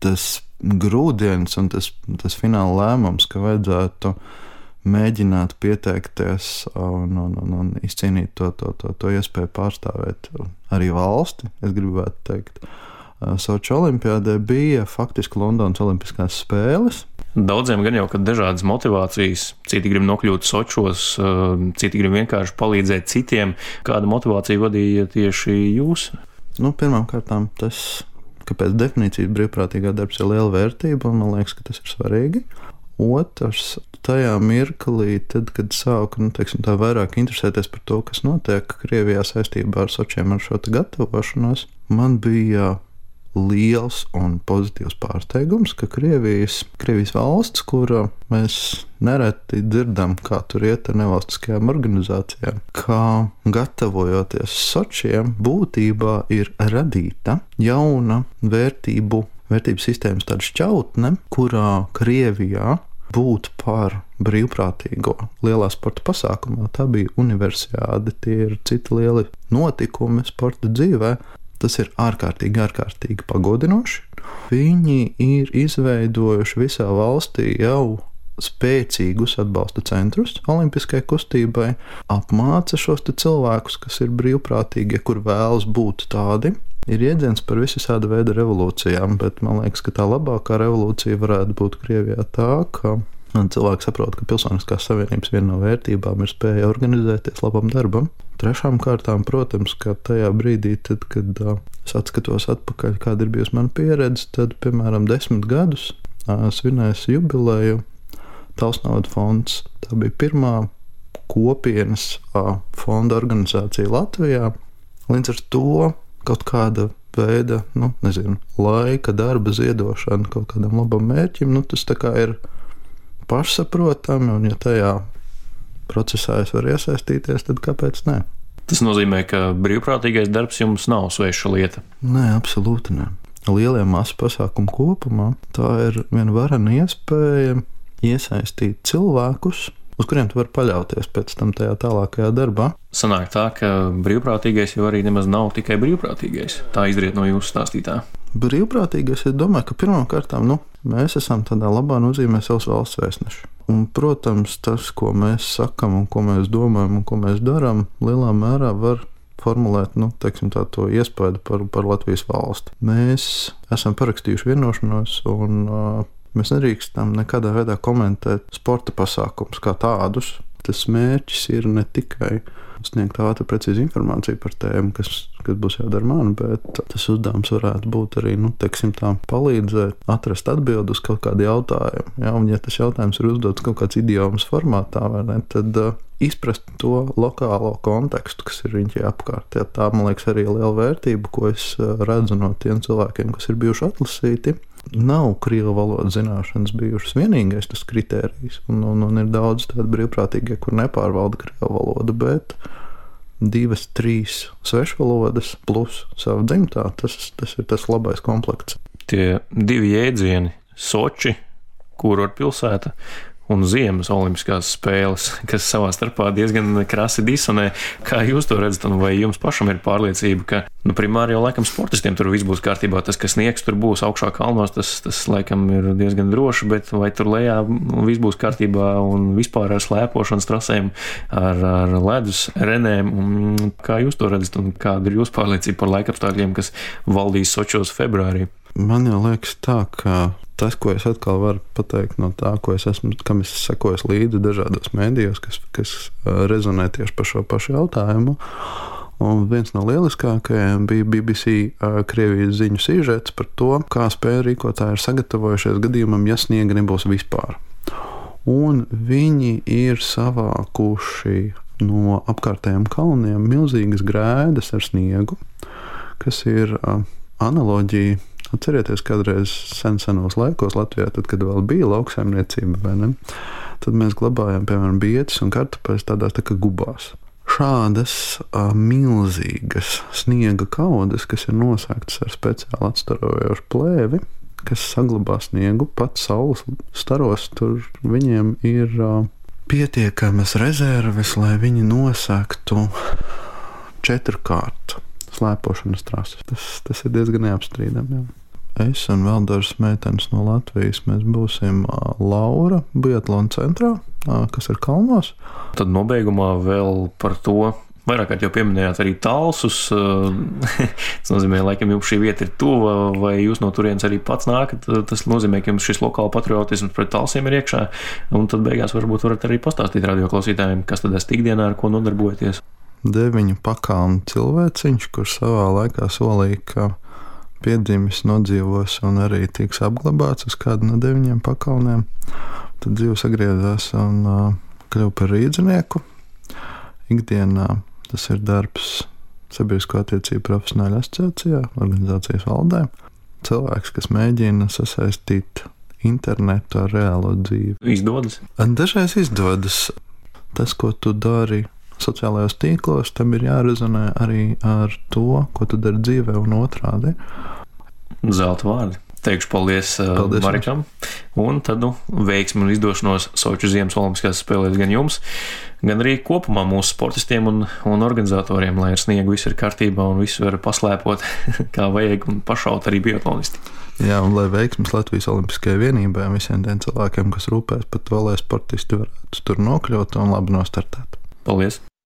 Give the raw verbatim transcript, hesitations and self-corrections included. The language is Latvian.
tas grūdienis un tas, tas fināla lēmums, ka vajadzētu mēģināt pieteikties un, un, un, un izcīnīt to, to, to, to iespēju pārstāvēt arī valsti, es gribētu teikt. Soči olimpiādē bija faktiski Londonas olimpiskās spēles. Daudziem gan jau, ka dažādas motivācijas, citi grib nokļūt Sočos, citi grib vienkārši palīdzēt citiem. Kāda motivācija vadīja tieši jūs? Nu, pirmām kārtām tas, ka pēc definīcijas brīvprātīgā darbs ir liela vērtība, un man liekas, ka tas ir svarīgi. Otrs, tajā mirklī, tad, kad sāku, nu, teiksim, tā vairāk interesēties par to, kas notiek Krievijā saistībā ar Sočiem, ar šo te gatavošanos, man bija liels un pozitīvs pārsteigums, ka Krievijas, Krievijas valsts, kura mēs nereti dzirdam, kā tur iet ar nevalstiskajām organizācijām, kā gatavojoties Sočiem, būtībā ir radīta jauna vērtību, vērtību sistēmas tāda šķautne, kurā Krievijā būt par brīvprātīgo lielā sporta pasākumā. Tā bija universiāde, tie ir citi lieli notikumi sporta dzīvē. Tas ir ārkārtīgi, ārkārtīgi pagodinoši. Viņi ir izveidojuši visā valstī jau spēcīgus atbalsta centrus olimpiskai kustībai, apmāca šos te cilvēkus, kas ir brīvprātīgi, kur vēlas būt tādi. Ir jēdziens par visāda veida revolūcijām, bet man liekas, ka tā labākā revolūcija varētu būt Krievijā tā, ka cilvēki saprot, ka Pilsoniskās savienības viena no vērtībām ir spēja organizēties labam darbam. Trešām kārtām, protams, ka tajā brīdī, tad, kad uh, es atskatos atpakaļ, kāda ir bijusi mana pieredze, tad, piemēram, desmit gadus uh, svinēs jubileju Tausnauda fonds. Tā bija pirmā kopienas uh, fonda organizācija Latvijā. Līdz ar to kaut kāda veida, nu, nezinu, laika, darba ziedošana kaut kādam labam mērķim, nu, tas tā kā ir pašsaprotami, un ja tajā procesā es varu iesaistīties, tad kāpēc ne? Tas nozīmē, ka brīvprātīgais darbs jums nav sveša lieta? Nē, absolūti ne. Lieliem masu pasākumu kopumā tā ir viena varena iespēja iesaistīt cilvēkus, uz kuriem tu vari paļauties pēc tam tajā tālākajā darbā. Sanāk tā, ka brīvprātīgais jau arī nemaz nav tikai brīvprātīgais. Tā izriet no jūsu stāstītā. Brīvprātīgais, es domāju, ka pirmām kārtām, nu, mēs esam tādā labā nozīmē savs valsts vēstneši. Un, protams, tas, ko mēs sakam un ko mēs domājam un ko mēs darām, lielā mērā var formulēt, nu, teiksim tā, to iespaidu par, par Latvijas valsti. Mēs esam parakstījuši vienošanos un uh, mēs nedrīkstam nekādā veidā komentēt sporta pasākumus kā tādus. Tas mērķis ir ne tikai sniegt ātru precīzu informāciju par tēmu, kas, kas būs jādara man, bet tas uzdevums varētu būt arī, nu, teiksim tā, palīdzēt atrast atbildi uz kaut kādu jautājumu. Ja, un ja tas jautājums ir uzdots kaut kāds idiomas formātā, vai ne, tad uh, izprast to lokālo kontekstu, kas ir viņai apkārt. Ja, tā, man liekas, arī liela vērtība, ko es uh, redzu no tiem cilvēkiem, kas ir bijuši atlasīti. Nav krievu valodas zināšanas bijušas vienīgais tas kritērijs, un, un, un ir daudz tādu brīvprātīgie, kur nepārvalda krievu valodu, bet divas, trīs svešvalodas plus savu dzimtā, tas, tas ir tas labais komplekts. Tie divi jēdzieni - Soči, kurortpilsēta, un ziemas olimpiskās spēles, kas savā starpā diezgan krasi disonē. Kā jūs to redzat, un vai jums pašam ir pārliecība, ka, nu, primāri jau laikam sportistiem tur viss būs kārtībā, tas, kas sniegs tur būs augšā kalnos, tas, tas laikam ir diezgan droši, bet vai tur lejā viss būs kārtībā un vispār ar slēpošanas trasēm, ar, ar ledus renēm, un kā jūs to redzat, un kāda ir jūsu pārliecība par laikapstākļiem, kas valdīs Sočos februārī? Man jau liekas tā, ka tas, ko es atkal varu pateikt no tā, ko es esmu, kam es sekojos līdzi dažādos mēdījos, kas, kas rezonē tieši par šo pašu jautājumu. Un viens no lieliskākajiem bija B B C Krievijas ziņu sižets par to, kā spēļu rīkotāji ir sagatavojušies gadījumam, ja sniega nebūs vispār. Un viņi ir savākuši no apkārtējiem kalniem milzīgas grēdas ar sniegu, kas ir analoģija. Atcerieties, kādreiz sen senos laikos Latvijā, tad, kad vēl bija lauksaimniecība, vai ne, tad mēs glabājām, piemēram, bietes un kartupeļus tādās tā kā gubās. Šādas a, milzīgas sniega kaudes, kas ir nosēgtas ar speciāli atstarojošu plēvi, kas saglabā sniegu pat saules staros, tur viņiem ir a, pietiekamas rezerves, lai viņi nosēgtu četrkārt slēpošanas trases. Tas, tas ir diezgan neapstrīdami. Jā. es un vēl dažas meitenes no Latvijas. Mēs būsim Laura biatlona centrā, kas ir kalnos. Tad nobeigumā vēl par to. Vairāk kārt jau pieminējāt arī Talsus. Tas nozīmē, laikam jums šī vieta ir tuva, vai jūs no turienes arī pats nākat. Tas nozīmē, ka jums šis lokāla patriotisms pret Talsiem ir iekšā. Un tad beigās varbūt varat arī pastāstīt radioklausītājiem, kas tad esat ikdienā, ar ko nodarbojaties. Deviņu pakalnu cilvēciņš, kurš savā laikā solīja, ka piedzimis, nodzīvos un arī tiks apglabāts uz kādu no deviņiem pakalniem. Tad dzīve sagriezās un uh, kļuva par rīdzinieku. Ikdienā tas ir darbs Sabiedrisko attiecību profesionāļu asociācijā, organizācijas valdē. Cilvēks, kas mēģina sasaistīt internetu ar reālo dzīvi. Izdodas? Dažreiz izdodas. Tas, ko tu dari sociālajos tīklos, tam ir jārezonē arī ar to, ko tu dari dzīvē un otrādi. Zelta vārdi. Teikšu paldies, paldies Marikam. Un tad nu, veiksmi un izdošanos Soču ziemas olimpiskās spēlēs gan jums, gan arī kopumā mūsu sportistiem un, un organizatoriem, lai ar sniegu viss ir kārtībā un visu var paslēpot, kā vajag, un pašaut arī biatlonisti. Jā, un lai veiksmes Latvijas Olimpiskajai vienībai un visiem tiem cilvēkiem, kas rūpēs par to, lai sportisti varētu tur nokļūt un labi nostartēt. Paldies!